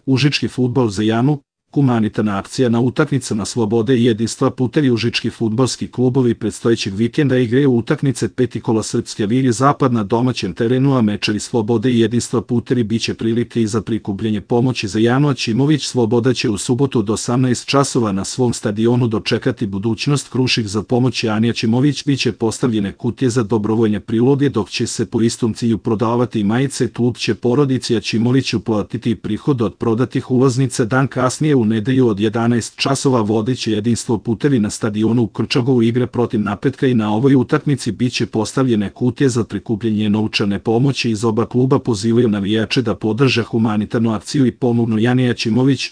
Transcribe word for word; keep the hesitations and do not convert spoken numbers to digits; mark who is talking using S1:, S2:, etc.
S1: Užički fudbal za Janu, humanitarna akcija na utakmicama slobode i jedinstva. Putevi užički fudbalski klubovi predstojećeg vikenda igraju utakmice peti kola Srpske lige Zapad na domaćem terenu, a mečevi slobode i jedinstva putevi biće prilike i za prikupljanje pomoći za Janu Aćimović. Sloboda će u subotu od osamnaest časova na svom stadionu dočekati budućnost Krušik. Za pomoć Jani Aćimović biće postavljene kutije za dobrovoljne priloge, dok će se po istom cilju prodavati majice. Klub će porodici Aćimović uplatiti prihod od prodatih ulaznica. Dan kasnije u nedelju od jedanaest časova vodeće jedinstvo putevi na stadionu u Krčagovu igre protiv Napretka i na ovoj utakmici biće postavljene kutije za prikupljanje novčane pomoći. Iz oba kluba pozivaju navijače da podrže humanitarnu akciju i pomognu Jani Aćimović.